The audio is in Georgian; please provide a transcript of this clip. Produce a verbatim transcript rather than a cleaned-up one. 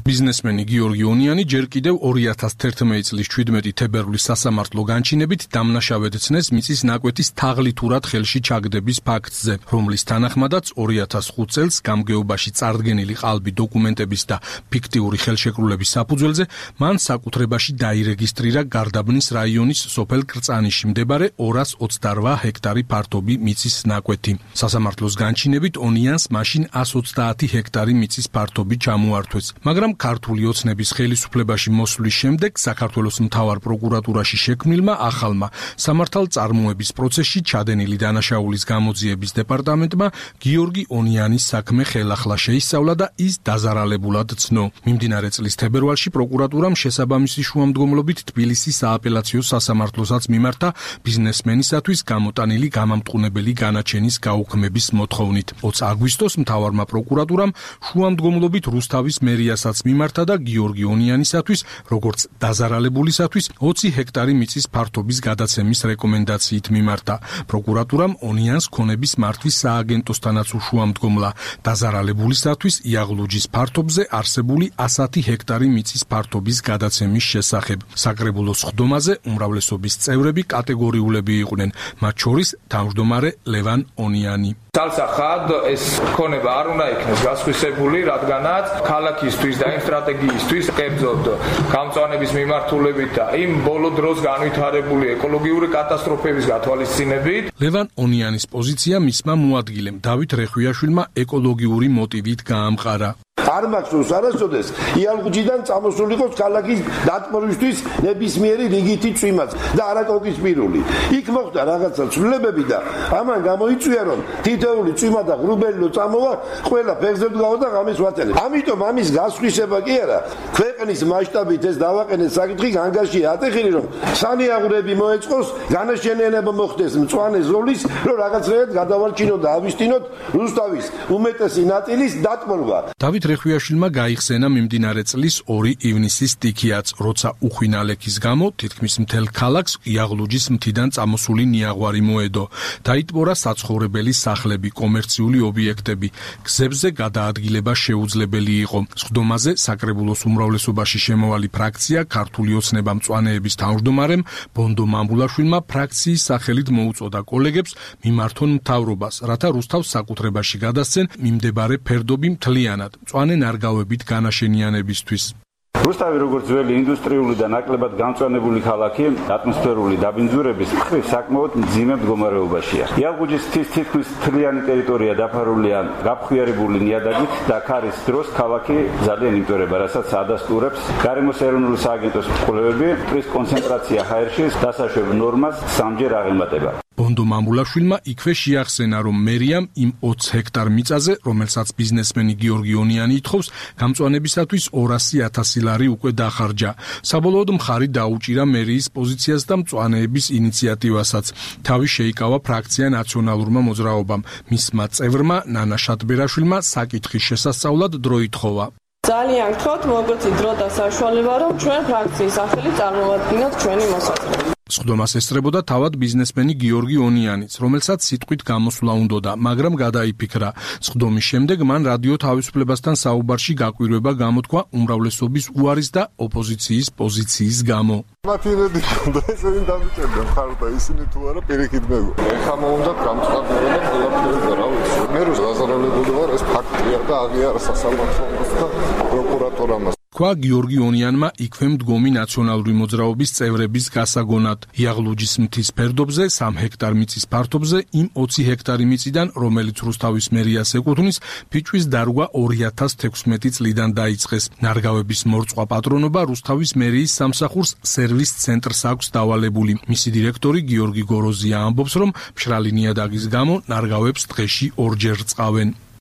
ბიზნესმენი გიორგი ონიანი ჯერ კიდევ ორი ათას თერთმეტი წლის ჩვიდმეტი თებერვლის სასამართლო განჩინებით დამნაშავედ ცნეს მიწის ნაკვეთის თაღლითურად ხელში ჩაგდების ფაქტზე, რომლის თანახმადაც ორი ათას ხუთ წელს გამგეობაში წარდგენილი ყალბი დოკუმენტების და ფიქტიური ხელშეკრულების საფუძველზე მან საკუთრებაში დაირეგისტრირა გარდაბნის რაიონის სოფელ კრწანიში მდებარე ორას ოცდაოთხ ჰექტარი ფართობი მიწის ნაკვეთი. სასამართლოს განჩინებით ონიანს მაშინ ას ოცდაათი ჰექტარი მიწის ფართობი ჩამოართვეს, მაგრამ ქართული ოცნების ხელისუფლებაში მოსვლის შემდეგ საქართველოს მთავარ პროკურატურაში შექმნილმა ახალმა სამართალწარმოების პროცესში ჩადენილი დანაშაულის გამოძიების დეპარტამენტმა გიორგი ონიანის საქმე ხელახლა შეისწავლა და ის დაზარალებულად ცნო. მიმდინარე წლის თებერვალში პროკურატურამ შესაბამისი შუამდგომლობით თბილისის სააპელაციო სასამართლოსაც მიმართა ბიზნესმენისათვის გამოტანილი გამამტყუნებელი განაჩენის გაუქმების მოთხოვნით. ოცი აგვისტოს მთავარმა პროკურატურამ შუამდგომლობით რუსთავის მერიასაც მიმართა და გიორგი ონიანისათვის, როგორც დაზარალებულისათვის, ოცი ჰექტარი მიწის ფართობის გადაცემის რეკომენდაციით მიმართა. პროკურატურამ ონიანს ქონების მართვის სააგენტოსთანაც უშუამდგომლა დაზარალებულისათვის იაღლუჯის ფართობზე არსებული ასათი ჰექტარი მიწის ფართობის გადაცემის შესახებ. საკრებულოს ხდომაზე უმრავლესობის წევრები კატეგორიულები იყვნენ, მათ შორის თავმჯდომარე ლევან ონიანი. Თალსახად ეს ქონება არ უნდა იქნეს გასხვისებული, რადგანაც ქალაქისთვის და იმ სტრატეგიისთვის კერძოდ გამწვანების მიმართულებით და იმ ბოლო დროს განვითარებული ეკოლოგიური კატასტროფების გათვალისწინებით. ლევან ონიანის პოზიცია მისმა მოადგილემ დავით რეხვიაშვილმა ეკოლოგიური მოტივით გაამყარა. არ მახსოვს არასოდეს იალღუჯიდან წამოსულიყოს ქალაქის დატბორისთვის ნებისმიერი რიგითი წვიმაც და არაკოკისპირული. იქ მოხდა რაღაცა ცვლილებები და ამან გამოიწვია რომ თითოეული წვიმა და ღრუბელი წამოვა ყველა ფეხზე დგავა და ღამეს ვატელებ. ამიტომ ამის გასხვისება კი არა, ქვეყნის მასშტაბით ეს დავაყენეთ საკითხი განგაშია ატეხილი რომ სანიაღვრები მოეწყოს, განაშენიანება მოხდეს მწვანე ზოლის, რომ რაღაცნაირად გადავალჩინოთ და ავისტინოთ რუსთავის უმეტესი ნაწილის დატბორვა. დავით რეხვიაშვილმა გაიხსენა მიმდინარე წლის ორი ივნისის სტიქიაც, როცა უხვინალექის გამო თითქმის მთელ ქალაქს იაღლუჯის მთიდან წამოსული ნიაღვარი მოედო. დაიტბორა საცხოვრებელი სახლები, კომერციული ობიექტები. გზებზე გადაადგილება შეუძლებელი იყო. სხდომაზე საკრებულოს უმრავლესობაში შემოვალი ფრაქცია ქართული ოცნება მწვანეების თავმჯდომარემ ბონდო მამბულაშვილმა ფრაქციის სახელით მოუწოდა კოლეგებს მიმართონ მთავრობას, რათა რუსთავს საკუთრებაში გადასცენ მიმდებარე ფერდობი მთლიანად მწვანე ნარგავებით განაშენიანებისთვის. რუსთავი როგორც ძველი ინდუსტრიული და ნაკლებად გამწვანებული ქალაქი ატმოსფერული დაბინძურების მხრივ საკმაოდ მძიმე მდგომარეობაშია. იალღუჯის მთის თითქმის მთლიანი ტერიტორია დაფარულია გაფხვიარებული ნიადაგით და ქარის დროს ქალაქი ძალიან იმტვერება, რასაც ადასტურებს გარემოს ეროვნული სააგენტოს კვლევები, ტყის კონცენტრაცია ჰაერში დასაშვებ ნორმას სამჯერ აღემატება. ბონდო მამბულაშვილმა იქვე შეახსენა, რომ მერიამ იმ ოცი ჰექტარ მიწაზე, რომელსაც ბიზნესმენი გიორგი ონიანი ითხოვს, გამწვანებისათვის ორასი ათასი ლარი უკვე დახარჯა. საბოლოოდ მხარი დაუჭირა მერიის პოზიციას და მწვანეების ინიციატივასაც. თავი შეიკავა ფრაქცია ნაციონალურმა მოძრაობამ. მისმა წევრმა ნანა შატბერაშვილმა საკითხის შესასწავლად დრო ითხოვა. ძალიან გთხოვთ, მოგეცით დრო და საშუალება, რომ ჩვენ ფრაქციის სახელით წარმოვადგინოთ ჩვენი მოსაზრება. სხდომას ესწრებოდა თავად ბიზნესმენი გიორგი ონიანიც, რომელსაც სიტყვით გამოსვლა უნდოდა, მაგრამ გადაიფიქრა. სხდომის შემდეგ მან რადიო თავისუფლებასთან საუბარში გაკვირვება გამოთქვა უმრავლესობის უარის და ოპოზიციის პოზიციის გამო. მათი რედი ქონდა ესენი დამიჭერდა მხარ და ისინი თუ არა პირიქით მეგო. ეხა მოუნდათ გამწყობილება და ყველაფერი და რა ვიცი. მე რო გაზარალებული ვარ, ეს ფაქტია და აღიარა სასამართლოს და პროკურატურამ. თქვა გიორგი ონიანმა იქვე მდგომი ნაციონალური მოძრაობის წევრების გასაგონად. იაღლუჯის მთის ფერდობზე სამი ჰექტარ მიწის ფართობზე იმ ოცი ჰექტარი მიწიდან, რომელიც რუსთავის მერიას ეკუთვნის, ფიჭვის დარგვა ორი ათას თექვსმეტი წლიდან დაიწყეს. ნარგავების მორწყვა პატრონობა რუსთავის მერიის სამსახურს სერვის ცენტრს აქვს დავალებული. მისი დირექტორი გიორგი გოროზია ამბობს, რომ მშრალი ნიადაგის გამო ნარგავებს დღეში ორჯერ რწყავენ.